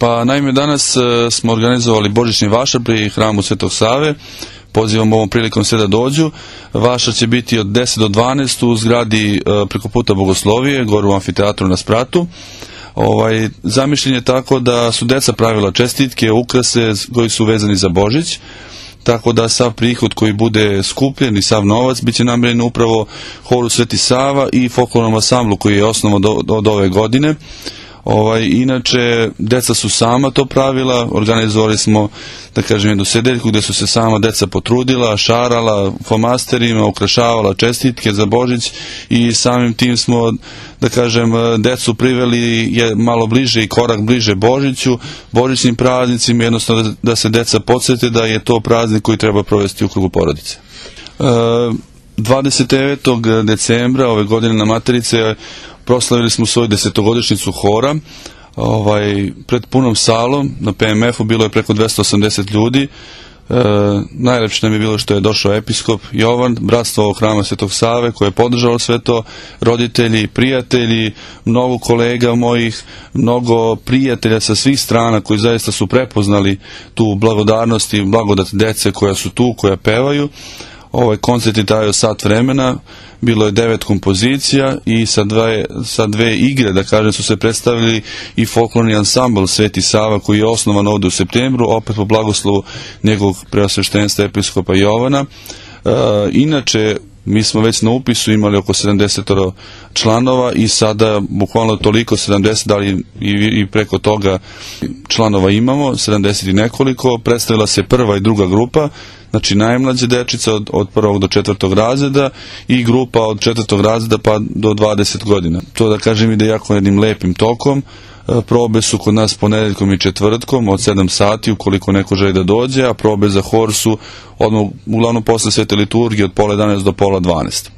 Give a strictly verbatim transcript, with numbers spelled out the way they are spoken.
Pa naime danas e, smo organizovali božićni vašar pri hramu Svetog Save. Pozivam ovom prilikom sve da dođu. Vašar će biti od deset do dvanaest u zgradi e, preko puta Bogoslovije, gore u amfiteatru na Spratu. Ovaj, zamišljen je tako da su deca pravila čestitke, ukrase koji su vezani za Božić, tako da sav prihod koji bude skupljen i sav novac bit će namijenjen upravo horu Sveti Sava i folklornom ansamblu koji je osnovan od, od ove godine. Ovaj, inače, deca su sama to pravila, organizovali smo, da kažem, jednu sedeljku gde su se sama deca potrudila, šarala flomasterima, ukrašavala čestitke za Božić i samim tim smo, da kažem, decu priveli je malo bliže i korak bliže Božiću, božićnim praznicima, jednostavno da, da se deca podsjete da je to praznik koji treba provesti u krugu porodice. E, dvadeset devetog decembra ove godine na Materice proslavili smo svoju desetogodišnjicu hora, ovaj, pred punom salom, na P M F-u bilo je preko dvesta osamdeset ljudi. E, najlepše nam je bilo što je došao episkop Jovan, bratstvo ovog hrama Svetog Save koje je podržalo sve to, roditelji, prijatelji, mnogo kolega mojih, mnogo prijatelja sa svih strana koji zaista su prepoznali tu blagodarnost i blagodat dece koja su tu, koja pevaju. Ovaj koncert je trajao sat vremena, bilo je devet kompozicija i sa dve, sa dve igre, da kažem, su se predstavili i folklorni ansambl Sveti Sava koji je osnovan ovde u septembru, opet po blagoslovu njegovog preosveštenstva episkopa Jovana. E, inače, mi smo već na upisu imali oko sedamdeset članova i sada bukvalno toliko, sedamdeset, da li i, i preko toga članova imamo, sedamdeset i nekoliko. Predstavila se prva i druga grupa, znači najmlađa dečica od, od prvog do četvrtog razreda i grupa od četvrtog razreda pa do dvadeset godina. To, da kažem, ide jako jednim lepim tokom. Probe su kod nas ponedeljkom i četvrtkom od sedam sati ukoliko neko želi da dođe, a probe za hor su odmah, uglavnom posle svete liturgije od pola jedanaest do pola dvanaest.